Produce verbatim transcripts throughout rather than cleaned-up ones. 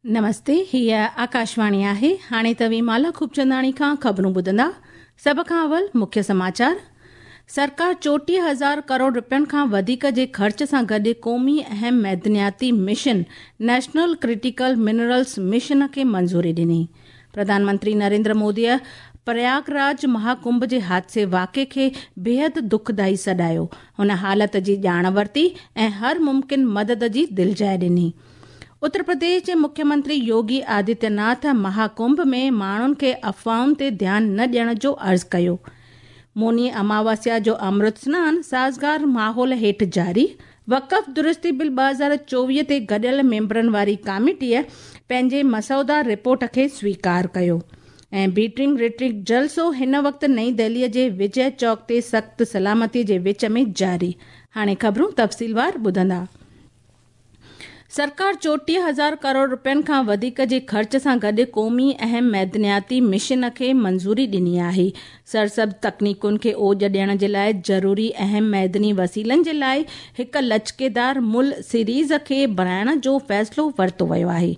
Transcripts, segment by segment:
नमस्ते, हीअ आकाशवाणी आहे। हाणे तव्हीं माला खूबचंदाणी खां ख़बरूं ॿुधंदा। सभ खां अवल मुख्य समाचार। सरकार चोटीह हज़ार करोड़ रुपयनि खां वधीक जे ख़र्च सां गॾु क़ौमी अहम मैदनियाती mission national critical minerals mission खे मंज़ूरी ॾिनी। प्रधानमंत्री नरेंद्र मोदीअ प्रयागराज महाकुंभ जे हादसे वाक़े खे बेहद दुखदाई सॾायो। हुन हालत जी ॼाण वरिती ऐं हर मुमकिन मदद जी दिलजाइ ॾिनी। उत्तर प्रदेश जे मुख्यमंत्री योगी आदित्यनाथ महाकुंभ में माण्हुनि खे अफ़वाहुनि ते ध्यानु न ॾियण जो अर्ज़ु कयो। मौनी अमावस्या जो अमृत स्नान साज़गार माहौल हेठि जारी। वक़फ़ दुरुस्ती बिल ॿ हज़ार चोवीह ते गॾियल मेंबरनि वारी कमेटीअ पंहिंजे मसौदा रिपोर्ट खे स्वीकार कयो। ऐं बीटिंग रिट्रीट जलसो हिन वक़्तु नई दिल्लीअ जे विजय चौक ते सख़्तु सलामती जे विच में जारी। हाणे ख़बरूं तफ़सीलवार ॿुधंदा। सरकार चोटीह हज़ार करोड़ रुपयनि खां वधीक जे ख़र्च सां गॾु क़ौमी अहम मैदनियाती मिशन खे मंज़ूरी ॾिनी आहे। सरसब्ज़ तकनीकुनि खे ओज ॾियण जे लाइ ज़रूरी अहम मैदनी वसीलनि जे लाइ हिकु लचकेदार मुल सीरीज़ खे बणाइण जो फ़ैसिलो वरितो वियो आहे।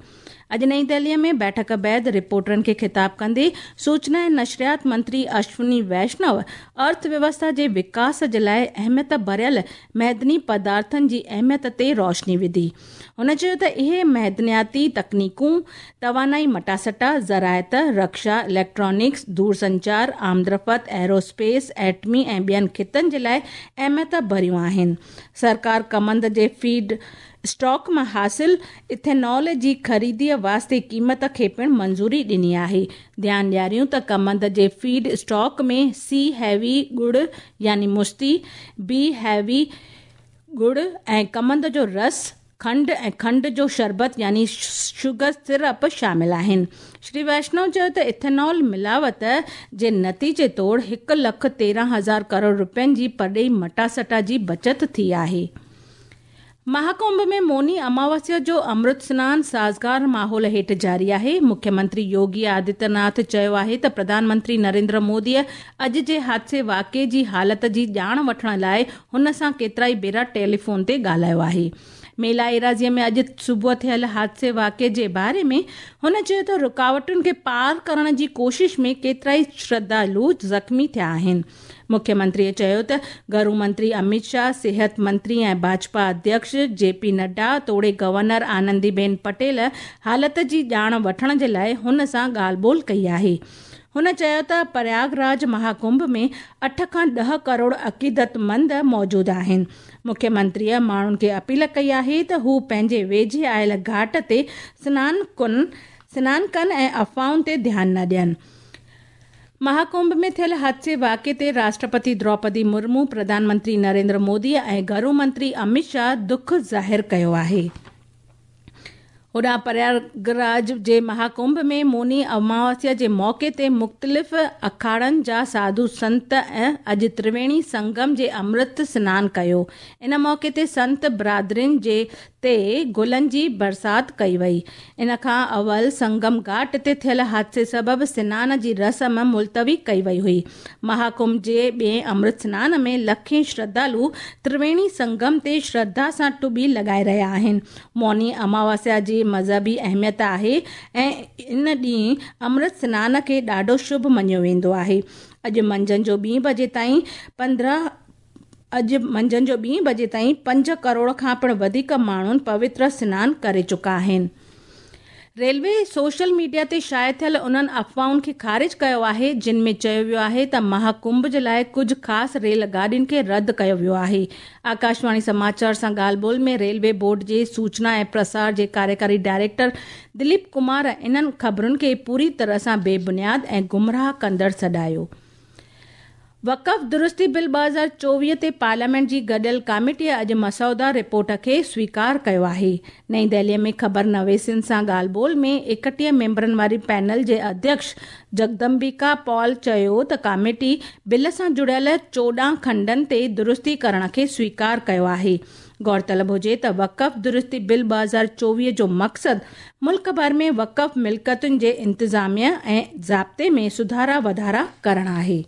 अॼु नई दिल्लीअ में बैठक बाद रिपोर्टरनि खे ख़िताब कंदे सूचना ऐं नशरियात मंत्री अश्विनी वैष्णव अर्थव्यवस्था जे विकास जे लाइ अहमियत भरियल मैदनी पदार्थनि जी अहमियत ते रोशनी विधी। हुन चयो त इहे मैदनियाती तकनीकूं तवानाई मटासटा, ज़राअत, रक्षा, इलेक्ट्रॉनिक्स, दूरसंचार, आमदरफ़्त, एरोस्पेस, एटमी ऐं ॿियनि ख़ितनि जे लाइ अहमियत भरियूं आहिनि। सरकार कमंद जे फीड स्टॉक मां हासिल इथेनॉल जी ख़रीदीअ वास्ते क़ीमत खे पिणु मंज़ूरी ॾिनी आहे। ध्यानु ॾियारियूं त कमंद जे फीड स्टॉक में सी हैवी ॻुड़ यानी मुस्ती, बी हैवी ॻुड़ ऐं कमंद जो रस, खंड ऐं खंड जो शरबत यानी शुगर सिरप शामिल आहिनि। श्री वैष्णव चयो त इथेनॉल मिलावट जे नतीजे तौरु हिकु लख तेरहं हज़ार करोड़ रुपयनि जी परॾेही मटासटा जी बचत थी आहे। महाकुंभ में मौनी अमावस्या जो अमृत स्नान साज़गार माहौल हेठि जारी आहे। मुख्यमंत्री योगी आदित्यनाथ चयो आहे त प्रधानमंत्री नरेंद्र मोदीअ अॼु जे हादसे वाक़े जी हालत जी ॼाण वठण लाइ हुन सां केतिरा ई भेरा टेलीफोन ते ॻाल्हायो आहे। मेला एराज़ीअ में अॼु सुबुह थियल हादसे वाक़े जे बारे में हुन चयो त रुकावटुनि खे पार करण जी कोशिश में केतिरा ई श्रद्धालु ज़ख़्मी थिया आहिनि। मुख्यमंत्रीअ चयो त घरू मंत्री अमित शाह, सिहत मंत्री ऐं भाजपा अध्यक्ष जे पी नड्डा तोड़े गवर्नर आनंदीबेन पटेल हालत जी ॼाण वठण जे लाइ हुन सां ॻाल्हि ॿोल कई आहे। हुन चयो त प्रयागराज महाकुंभ में अठ खां ॾह करोड़ अक़ीदतमंद मौजूदु आहिनि। मुख्यमंत्रीअ माण्हुनि खे अपील कई आहे त हू पंहिंजे वेझे आयल घाट ते स्नान कनि स्नान कनि ऐं अफ़वाहुनि ते ध्यानु न ॾियनि। महाकुंभ में थियल हादसे वाक़े ते राष्ट्रपति द्रौपदी मुर्मू, प्रधानमंत्री नरेंद्र मोदी ऐं घरू मंत्री अमित शाह दुख ज़ाहिर कयो आहे। होॾां प्रयागराज जे महाकुंभ में मौनी अमावस्या जे मौक़े ते मुख़्तलिफ़ अखाड़नि जा साधु संत ऐं अॼु त्रिवेणी संगम जे अमृत स्नान कयो। इन मौक़े ते संत बिरादरियुनि जे ते गुलनि जी बरसात कई वई। इन खां अवल संगम घाट ते थियल हादसे सबबु स्नान जी रस्म मुलतवी कई वई हुई। महाकुंभ जे ॿिए अमृत स्नान में लखें श्रद्धालु त्रिवेणी संगम ते श्रद्धा सां टुॿी लॻाए रहिया आहिनि। मौनी अमावस्या जी मज़हबी अहमियत आहे ऐं इन ॾींहुं अमृत स्नान खे ॾाढो शुभ मञियो वेंदो आहे। अॼु मंझंदि जो ॿी बजे ताईं पंद्रहं अॼु मंझंदि जो ॿी बजे ताईं पंज करोड़ खां पिणु वधीक माण्हुनि पवित्र स्नान करे चुका आहिनि। रेलवे सोशल मीडिया ते शाया थियल उन्हनि अफ़वाहुनि खे ख़ारिज कयो आहे जिन में चयो वियो आहे त महाकुंभ जे लाइ कुझु ख़ासि रेल गाॾियुनि खे रद्द कयो वियो आहे। आकाशवाणी समाचार सां ॻाल्हि ॿोल में रेलवे बोर्ड जे सूचना ऐं प्रसार जे कार्यकारी डायरेक्टर दिलीप कुमार इन्हनि ख़बरुनि खे पूरी तरह सां बेबुनियाद ऐं गुमराह कंदड़ सॾायो। वक़फ़ दुरुस्ती बिल ॿ हज़ार चोवीह ते पार्लियामेंट जी गॾियल कमेटीअ अॼु मसौदा रिपोर्ट खे स्वीकार कयो आहे। नई दिल्लीअ में ख़बर नवेसियुनि सां ॻाल्हि ॿोल में एकटीह मेंबरनि वारी पैनल जे अध्यक्ष जगदम्बिका पॉल चयो त कमेटी बिल सां जुड़ियल चोॾहं खंडनि ते दुरुस्ती करण खे स्वीकार कयो आहे। गौरतलब हुजे त वक़फ़ दुरुस्ती बिल ॿ हज़ार चोवीह जो मक़सदु मुल्क भर में वक़फ़ मिल्कतुनि जे इंतिज़ामिया ऐं ज़ाब्ते में सुधारा वाधारा करणु आहे।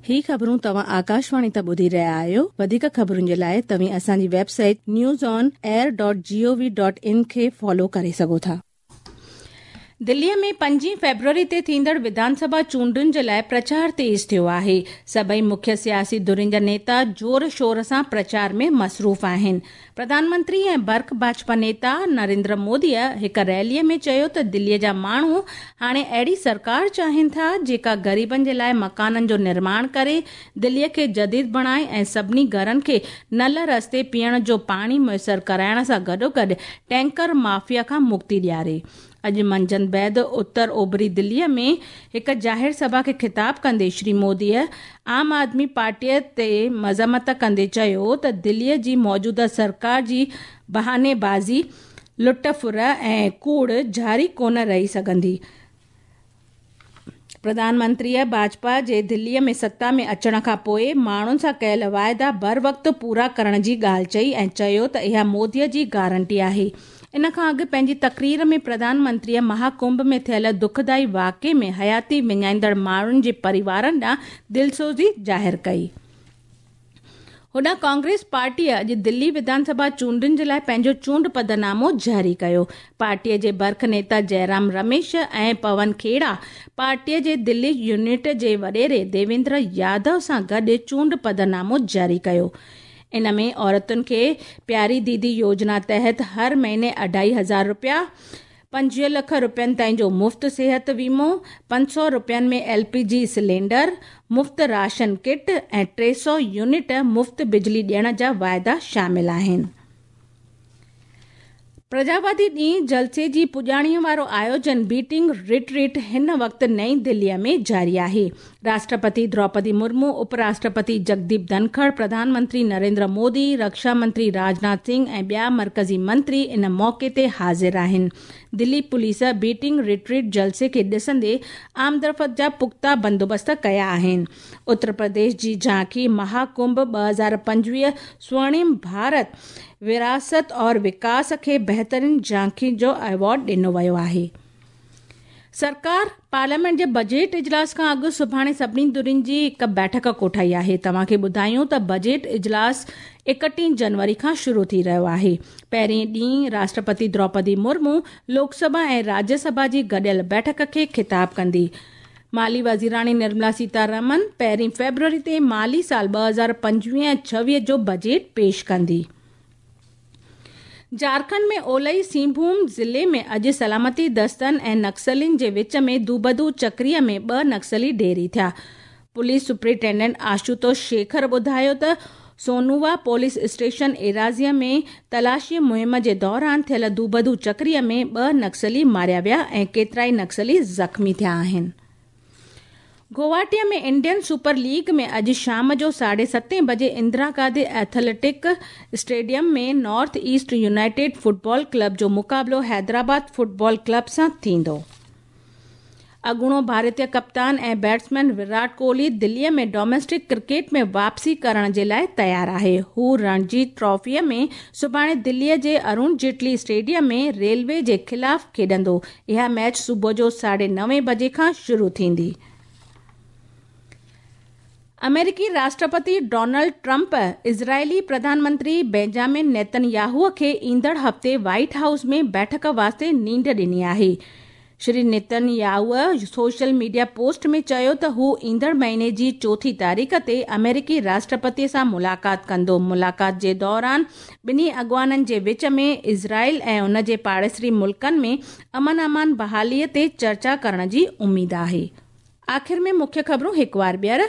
ही ख़बरूं तव्हां आकाशवाणी तां ॿुधी रहिया आहियो। वधीक ख़बरुनि जे लाइ तव्हीं असांजी website news on air dot G O V dot in खे फॉलो करे सघो था। दिल्लीअ में पंजीह फेब्रुअरी ते थींदड़ विधानसभा चूंडुनि जे लाइ प्रचार तेज़ थियो आहे। सभई मुख्य सियासी धुरियुनि जा नेता ज़ोर शोर सां प्रचार में मसरूफ़ आहिनि। प्रधानमंत्री ऐं बर्ख भाजपा नेता नरेंद्र मोदीअ हिकु रैलीअ में चयो त दिल्लीअ जा माण्हू हाणे अहिड़ी सरकार चाहिनि था जेका ग़रीबनि जे लाइ मकाननि जो निर्माण करे, दिल्लीअ खे जदीद बणाए ऐं सभिनी घरनि खे नल रस्ते पीअण जो पाणी मुयसर कराइण सां गॾोगॾु टैंकर माफिया खां मुक्ति ॾियारे। अॼु मंझंदि बाद उत्तर ओभरी दिल्लीअ में हिकु ज़ाहिर सभा खे ख़िताब कंदे श्री मोदीअ आम आदमी पार्टीअ ते मज़म्मत कंदे चयो त दिल्लीअ जी मौजूदा सरकार जी बहानेबाज़ी, लुट फुर ऐं कूड़ जारी कोन रही सघंदी। प्रधानमंत्रीअ भाजपा जे दिल्लीअ में सत्ता में अचण खां पोइ माण्हुनि सां कयल वाइदा बर वक़्तु पूरा करण जी ॻाल्हि चई ऐं चयो त इहा मोदीअ जी गारंटी आहे। इन खां अॻु पंहिंजी तकरीर में प्रधानमंत्रीअ महाकुंभ में थियल दुखदाई वाक़िए में हयाती विञाईंदड़ माण्हुनि जे परिवारनि ॾांहुं दिलसोज़ी ज़ाहिर कई। होॾां कांग्रेस पार्टीअ अॼु दिल्ली विधानसभा चूंडुनि जे लाइ पंहिंजो चूंड पधनामो जारी कयो। पार्टीअ जे बर्ख नेता जयराम रमेश ऐं पवन खेड़ा पार्टीअ जे दिल्ली यूनिट जे वॾेरे देवेंद्र यादव सां गॾु चूंड पधनामो जारी कयो। इन में औरतुनि खे प्यारी दीदी योजना तहत हर महीने अढाई हज़ार रुपया, पंजवीह लख रुपयनि ताईं जो मुफ़्त सिहत वीमो, पंज सौ रुपयनि में एल पी जी सिलेंडर, मुफ़्त राशन किट ऐं टे सौ यूनिट मुफ़्त बिजली ॾियण जा वाइदा शामिल आहिनि। प्रजावादी ॾींहुं जलसे जी पुॼाणीअ वारो आयोजन बीटिंग रिट्रीट हिन वक़्तु नई दिल्लीअ में जारी आहे। राष्ट्रपति द्रौपदी मुर्मू, उपराष्ट्रपति जगदीप धनखड़, प्रधानमंत्री नरेंद्र मोदी, रक्षा मंत्री राजनाथ सिंह ऐं ॿिया मर्कज़ी मंत्री इन मौक़े ते हाज़िर आहिनि। दिल्ली पुलिस बीटिंग रिट्रीट जलसे खे ॾिसंदे आमदरफ़्त जा पुख़्ता बंदोबस्त कया आहिनि। उत्तर प्रदेश जी झांकी महाकुंभ ॿ हज़ार पंजवीह स्वर्णिम भारत विरासत और विकास खे बहितरीन झांकी जो अवॉर्ड ॾिनो वियो आहे। सरकार पार्लियामेंट जे बजट इजलास खां अॻु सुभाणे सभिनी धुरियुनि जी हिकु बैठक कोठाई आहे। तव्हांखे ॿुधायूं त बजट इजलास एकटीह जनवरी खां शुरू थी रहियो आहे। पहिरीं ॾींहुं राष्ट्रपति द्रौपदी मुर्मू लोकसभा ऐं राज्यसभा जी गॾियल बैठक खे ख़िताब कंदी। माली वज़ीराणी निर्मला सीतारमन पहिरीं फेब्रुअरी ते माली साल ॿ हज़ार पंजवीह ऐं छवीह जो बजट पेश कंदी। झारखंड में ओलई सिंहभूम ज़िले में अॼु सलामती दस्तनि ऐं नक्सलियुनि जे विच में दूबदू चक्रीअ में ॿ नक्सली ढेरी थिया। पुलिस सुपरिटेंडेंट आशुतोष शेखर ॿुधायो त सोनुवा पुलिस स्टेशन एराज़ीअ में तलाशी मुहिम जे दौरान थियल दूबदू चक्रीअ में ॿ नक्सली मारिया विया ऐं केतिरा ई नक्सली ज़ख़्मी थिया आहिनि। गुवाहाटीअ में इंडियन सुपर लीग में अॼु शाम जो साढे सतें बजे इंदिरा गांधी एथलेटिक स्टेडियम में North East United football club जो मुक़ाबिलो हैदराबाद फुटबॉल क्लब सां थींदो। अॻूणो भारतीय कप्तान ऐं बैट्समैन विराट कोहली दिल्लीअ में डोमेस्टिक क्रिकेट में वापसी करण जे लाइ तयारु आहे। हू रणजी ट्रॉफीअ में सुभाणे दिल्लीअ जे अरुण जेटली स्टेडियम में रेलवे जे ख़िलाफ़ खेॾंदो। इहा मैच सुबुह जो साढे नवे बजे खां शुरू थींदी। अमेरिकी राष्ट्रपति डोनाल्ड ट्रंप इज़रायली प्रधानमंत्री बेंजामिन नेतन्याहू खे ईंदड़ हफ़्ते व्हाइट हाउस में बैठक वास्ते नींड ॾिनी आहे। Shri Netanyahu social media post में चयो त हू ईंदड़ महीने जी चोथी तारीख़ ते अमेरिकी राष्ट्रपति सां मुलाक़ात कंदो। मुलाक़ात जे दौरान ॿिन्ही अॻवाननि जे विच में इज़राइल ऐं उन जे पाड़ेसरी मुल्कनि में अमन अमान बहालीअ ते चर्चा करण जी उम्मीद आहे। आख़िर में मुख्य ख़बरूं हिकु वार ॿीहर।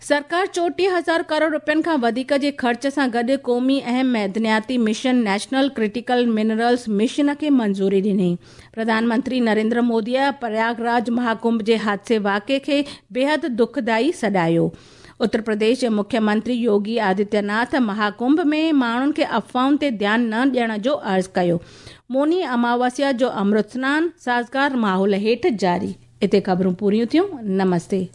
सरकार चोटीह हज़ार करोड़ रुपयनि खां वधीक जे ख़र्च सां गॾु क़ौमी अहम मैदनियाती mission national critical minerals mission खे मंज़ूरी ॾिनी। प्रधानमंत्री नरेंद्र मोदीअ प्रयागराज महाकुंभ जे हादसे वाक़िए खे बेहद दुखदाई सॾायो। उत्तर प्रदेश जे मुख्यमंत्री योगी आदित्यनाथ महाकुंभ में माण्हुनि खे अफ़वाहुनि ते ध्यानु न ॾियण जो अर्ज़ु कयो। मौनी अमावस्या जो अमृत स्नान साज़गार माहौल हेठि जारी। हिते ख़बरूं पूरियूं थियूं। नमस्ते।